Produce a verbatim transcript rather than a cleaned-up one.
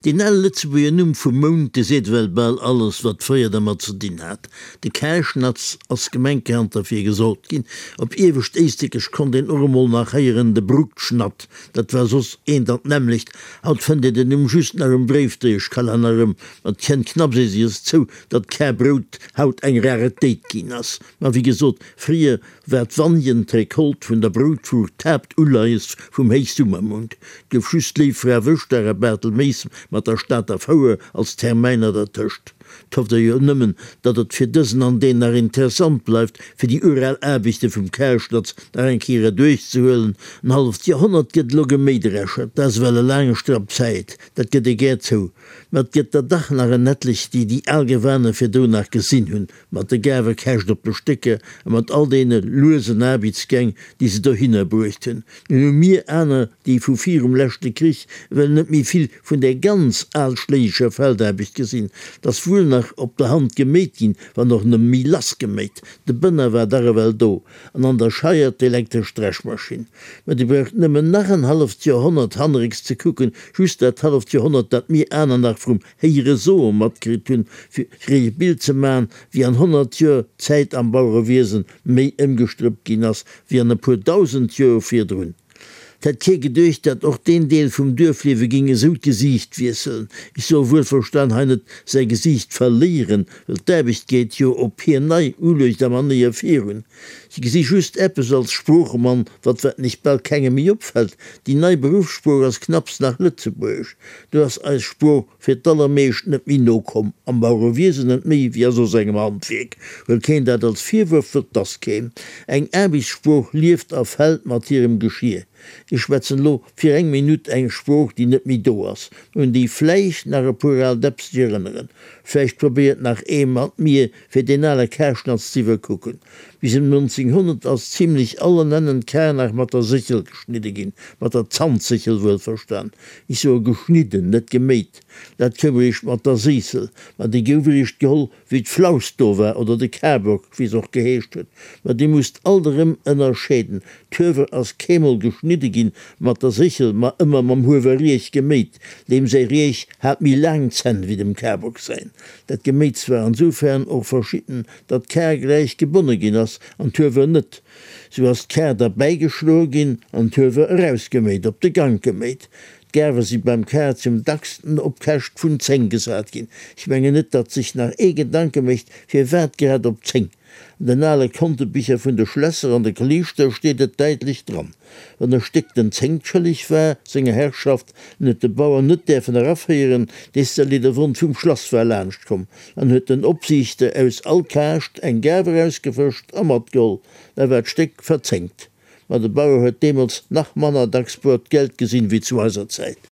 Deen ale Lëtzebuerger Numm vum Mount, dee seet ewell bal alles, wat fréier dermat ze dinn hat. De Karschnatz ass gemenkerhand derfir gesot ginn. Op Iewescht Éislekech konnt een och emol nach héieren, de Bruttschnatt, dat war soss eent an d'nämmlecht. Haut fënnt een den Numm just nach um Bréifdréieschkalenner erëm. Ma et kënnt knapps eisies zou, datt Karbrout haut eng Raretéit ginn ass. Ma wéi gesot, fréier war d'Vanjen d'Recolte vun der Broutfuucht d'Haaptuleies vum Héichsummermount. 't gouf just Léiffra Wëschtdag a Bartelméis mat der Stater Fouer als Termäiner dertëscht. 't hofft ee jo nëmmen, datt et fir dësen an deen nach interessant bleift, fir déi ural Aarbechte vum Karschnatz nach eng Kéier erduerchzehuelen. En halleft Joerhonnert gëtt elo geméidreschert, dat ass ewell e laange Strapp Zäit, dat gëtt ee gär zou. Mä et gëtt der dach nach en etlech, déi déi al Gewaner virdrun nach gesinn hunn, mat de Gaarwekescht op de Stécker a mat all deene luesen Aarbechtsgäng, déi se dohinner bruecht hunn. Nun hu mir aner, déi vu virum leschte Krich ewell net méi vill vun där ganz alschléigescher Feldaarbecht gesinn. 't ass wuel nach op der Hand geméit ginn, wann och nëmme méi lass geméit. De Bënner war dach ewell do, an an der Scheier d'elektresch Dreschmaschinn. Mä Dir braucht nëmmen nach en halleft Joerhonnert hannerécks ze kucken, just dat halleft Joerhonnert, dat mir aner nach vrum Héiere-Soe matkritt hunn, fir iech e Bild ze maachen, wéi an honnert Joer d'Zäit am Bauerewiesen méi ëmgestrëppt ginn ass, wéi an e puer dausend Joer virdrun. 't hätt kee geduecht, datt och deen Deel vum Duerfliewe géing esou d'Gesiicht wiesselen. Ech soe wuelverstan hei net säi Gesiicht verléieren, well d'Aarbecht geet jo op hir nei Uluecht a Manéier virun. Ech gesi just eppes als Sproochemann, wat wat nech bal kengem méi opfält, Déi nei Beruffssprooch ass knapps nach Lëtzebuergesch. Do ass eis Sprooch fir d'allermeescht net méi no komm, am Bauerewiesen net méi wéi a soss engem Handwierk. Huel keen dat als Virwurf, wëll 't ass keen. Eng Aarbechtssprooch lieft a fält mat hirem Geschir. Ech schwätzen elo fir eng Minutt eng Sprooch, déi net méi do ass, un déi vläicht nach e puer al Däpps sech erënneren. Vläicht probéiert nach ee mat mir, fir deen ale Karschnatz z'iwwerkucken. Bis ëm nonzénghonnert ass zimlech allenennen d'Kar nach mat der Séchel geschnidde ginn, mat der Zantséchel wuelverstan. Ech soe geschnidden, net geméit. Dat koum eréischt mat der Séissel. Ma déi gouf eréischt geholl, wéi d'Flaus do war, oder de Karbock, wéi se och geheescht huet. Ma dir musst alt erëm ënnerscheeden, D'Huewer ass keemol geschnidde ginn mat der Séchel, ma ëmmer mam Huewerriech geméit. Deem säi Riech hat méi laang Zänn wéi dem Karbock säin. Dat Geméits war ansoufern och verschidden, datt d'Kar gläich gebonne ginn ass an d'Huewer net. Sou ass d'Kar derbäigeschloe ginn an d'Huewer erausgeméit, op de Gank geméit. D'Gaarwe si beim Kar zum dacksten op Käscht vun zéng gesat ginn. Ech mengen net, datt sech nach ee Gedanke mécht, firwat grad op zéng. An den ale Kontebicher vun de Schlässer an de Kleeschter steet et däitlech dran, Wann e Stéck den Zéngt schëlleg war senger Herrschaft, en huet de Bauer net däerfen eraféieren, dees-de de Won vum Schlass war laanscht komm an huet den Opsiichter aus all Kaascht eng Gaarf erausgefëscht a matgeholl, da war d'Stéck verzéngt. Ma de Bauer huet deemools nach manner dacks boert Geld gesinn, wéi zu eiser Zäit.